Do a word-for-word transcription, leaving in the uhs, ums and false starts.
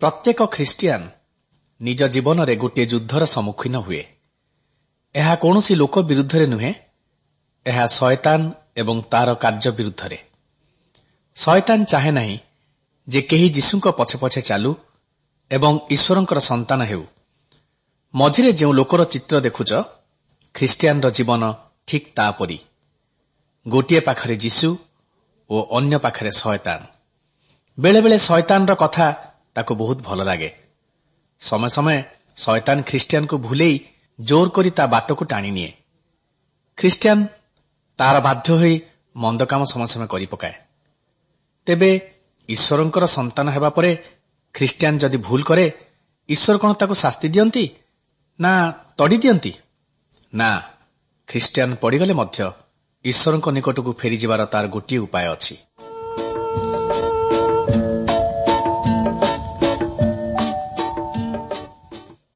ପ୍ରତ୍ୟେକ ଖ୍ରୀଷ୍ଟିଆନ ନିଜ ଜୀବନରେ ଗୋଟିଏ ଯୁଦ୍ଧର ସମ୍ମୁଖୀନ ହୁଏ। ଏହା କୌଣସି ଲୋକ ବିରୁଦ୍ଧରେ ନୁହେଁ, ଏହା ଶୟତାନ ଏବଂ ତାର କାର୍ଯ୍ୟ ବିରୁଦ୍ଧରେ। ଶୟତାନ ଚାହେଁ ନାହିଁ ଯେ କେହି ଯୀଶୁଙ୍କ ପଛେ ପଛେ ଚାଲୁ ଏବଂ ଈଶ୍ୱରଙ୍କର ସନ୍ତାନ ହେଉ। ମଝିରେ ଯେଉଁ ଲୋକର ଚିତ୍ର ଦେଖୁଛ, ଖ୍ରୀଷ୍ଟିଆନର ଜୀବନ ଠିକ୍ ତାପରି। ଗୋଟିଏ ପାଖରେ ଯୀଶୁ ଓ ଅନ୍ୟ ପାଖରେ ଶୟତାନ। ବେଳେବେଳେ ଶୟତାନର କଥା ତାକୁ ବହୁତ ଭଲ ଲାଗେ। ସମୟ ସମୟ ଶୟତାନ ଖ୍ରୀଷ୍ଟିଆନକୁ ଭୁଲେଇ ଜୋର କରି ତା ବାଟକୁ ଟାଣିନିଏ। ଖ୍ରୀଷ୍ଟିଆନ ତାର ବାଧ୍ୟ ହୋଇ ମନ୍ଦ କାମ ସମୟ ସମୟ କରିପକାଏ। ତେବେ ଈଶ୍ୱରଙ୍କର ସନ୍ତାନ ହେବା ପରେ ଖ୍ରୀଷ୍ଟିଆନ ଯଦି ଭୁଲ କରେ, ଈଶ୍ୱର କଣ ତାକୁ ଶାସ୍ତି ଦିଅନ୍ତି ନା ତଡ଼ି ଦିଅନ୍ତି? ନା, ଖ୍ରୀଷ୍ଟିଆନ ପଡ଼ିଗଲେ ମଧ୍ୟ ଈଶ୍ୱରଙ୍କ ନିକଟକୁ ଫେରିଯିବାର ତାର ଗୋଟିଏ ଉପାୟ ଅଛି।